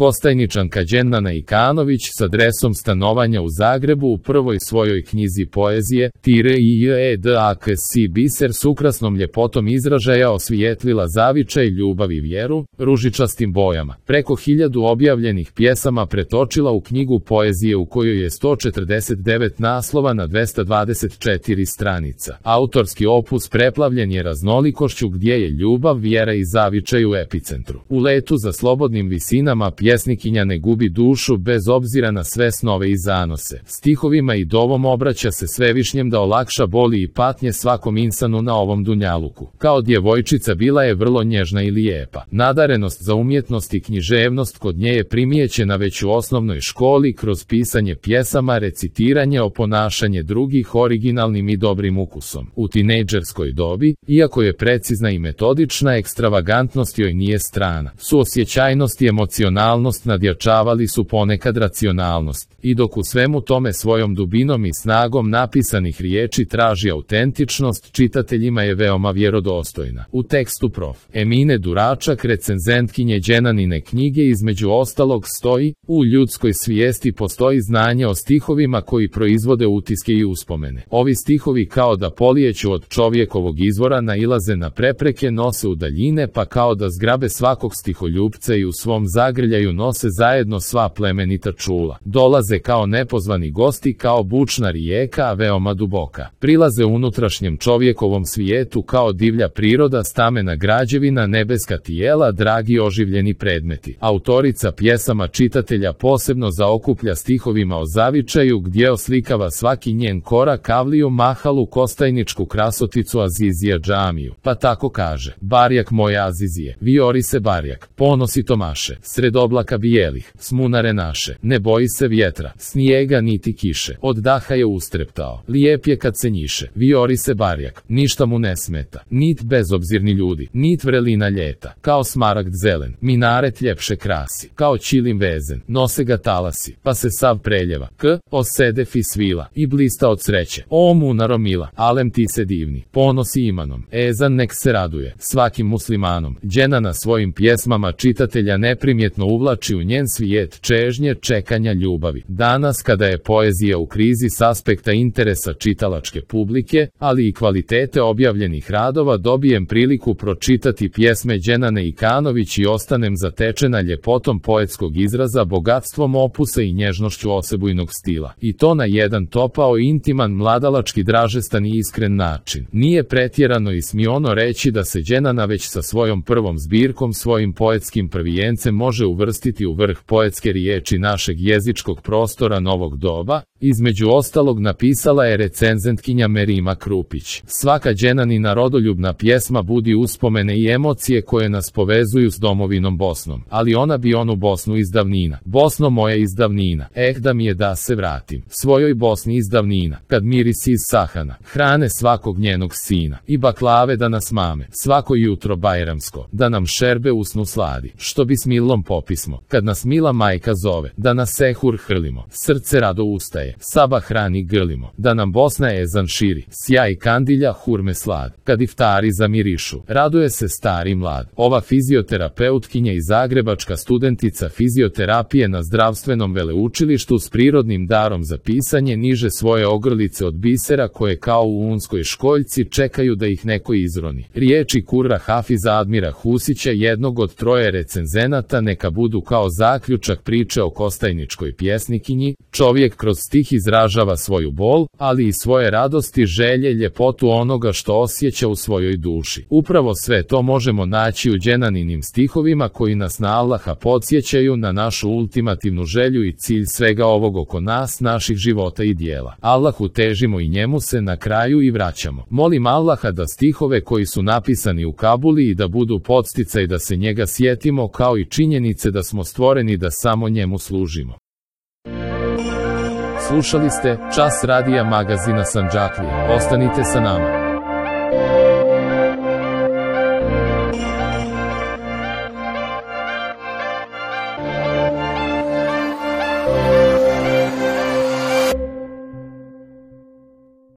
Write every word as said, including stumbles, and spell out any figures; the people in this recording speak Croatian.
Kostajničanka Đenana Ikanović s adresom stanovanja u Zagrebu u prvoj svojoj knjizi poezije Tire i Jedaki biser s ukrasnom ljepotom izražaja osvijetlila zavičaj, ljubav i vjeru, ružičastim bojama. Preko hiljadu objavljenih pjesama pretočila u knjigu poezije u kojoj je sto četrdeset devet naslova na dvesta dvadeset četiri stranica. Autorski opus preplavljen je raznolikošću gdje je ljubav, vjera i zavičaj u epicentru. U letu za slobodnim visinama pjesnikinja ne gubi dušu bez obzira na sve snove i zanose. Stihovima i dovom obraća se Svevišnjem da olakša boli i patnje svakom insanu na ovom dunjaluku. Kao djevojčica bila je vrlo nježna i lijepa. Nadarenost za umjetnost i književnost kod nje je primijećena već u osnovnoj školi kroz pisanje pjesama, recitiranje, oponašanje drugih originalnim i dobrim ukusom. U tinejdžerskoj dobi, iako je precizna i metodična, ekstravagantnost joj nije strana. Suosjećajnost i emocionalnost nadjačavali su ponekad racionalnost. I dok u svemu tome svojom dubinom i snagom napisanih riječi traži autentičnost, čitateljima je veoma vjerodostojna. U tekstu prof. Emine Duračak, recenzentkinje Đenanine knjige, između ostalog stoji: u ljudskoj svijesti postoji znanje o stihovima koji proizvode utiske i uspomene. Ovi stihovi kao da polijeću od čovjekovog izvora nailaze na prepreke, nose u daljine, pa kao da zgrabe svakog stiholjupca i u svom zagrljaju nose zajedno sva plemenita čula. Dolaze kao nepozvani gosti, kao bučna rijeka, a veoma duboka. Prilaze unutrašnjem čovjekovom svijetu kao divlja priroda, stamena građevina, nebeska tijela, dragi oživljeni predmeti. Autorica pjesama čitatelja posebno zaokuplja stihovima o zavičaju gdje oslikava svaki njen korak, avliju, mahalu, kostajničku krasoticu, Azizija džamiju. Pa tako kaže: barjak moja Azizije, viori se barjak, ponosi tomaše, sred oblaka bijelih, smunare naše, ne boji se vjetra, snijega niti kiše, od daha je ustreptao, lijep je kad se njiše, viori se barjak, ništa mu ne smeta, nit bezobzirni ljudi, nit vrelina ljeta, kao smaragd zelen, minaret ljepše krasi, kao čilim vezen, nose ga talasi, pa se sav preljeva, k, osede fi svila, i blista od sreće, o munaro mila, alem ti se divni, ponosi imanom, ezan nek se raduje, svakim muslimanom. Đenana svojim pjesmama čitatelja neprimjetno uvlači u njen svijet čežnje, čekanja, ljubavi. Danas, kada je poezija u krizi s aspekta interesa čitalačke publike, ali i kvalitete objavljenih radova, dobijem priliku pročitati pjesme Đenane Ikanović i ostanem zatečena ljepotom poetskog izraza, bogatstvom opusa i nježnošću osebujnog stila. I to na jedan topao, intiman, mladalački, dražestan i iskren način. Nije pretjerano i smiono reći da se Đenana već sa svojom prvom zbirkom, svojim poetskim prvijencem može uvrstiti u vrh poetske riječi našeg jezičkog prostora novog doba. Između ostalog napisala je recenzentkinja Merima Krupić. Svaka Đenanina rodoljubna pjesma budi uspomene i emocije koje nas povezuju s domovinom Bosnom. Ali ona bi onu Bosnu iz davnina. Bosno moja iz davnina, eh da mi je da se vratim svojoj Bosni iz davnina, kad mirisi iz sahana hrane svakog njenog sina i baklave da nas mame svako jutro bajramsko, da nam šerbe usnu sladi, što bi s milom popismo, kad nas mila majka zove, da nas sehur hrlimo, srce rado ustaje, saba hrani grlimo, da nam Bosna ezan širi, sjaj kandilja, hurme slad, kad iftari zamirišu, raduje se stari mlad. Ova fizioterapeutkinja i zagrebačka studentica fizioterapije na zdravstvenom veleučilištu s prirodnim darom za pisanje niže svoje ogrlice od bisera koje kao u unskoj školjci čekaju da ih neko izroni. Riječi Kurra Hafiza Admira Husića, jednog od troje recenzenata, neka budu kao zaključak priče o kostajničkoj pjesnikinji. Čovjek kroz stih izražava svoju bol, ali i svoje radosti, želje, ljepotu onoga što osjeća u svojoj duši. Upravo sve to možemo naći u Đenaninim stihovima koji nas na Allaha podsjećaju na našu ultimativnu želju i cilj svega ovog oko nas, naših života i dijela. Allahu težimo i njemu se na kraju i vraćamo. Molim Allaha da stihove koji su napisani u Kabuli i da budu podsticaj da se njega sjetimo, kao i činjenice da smo stvoreni da samo njemu služimo. Slušali ste Čas radija magazina Sandžaklije. Ostanite sa nama.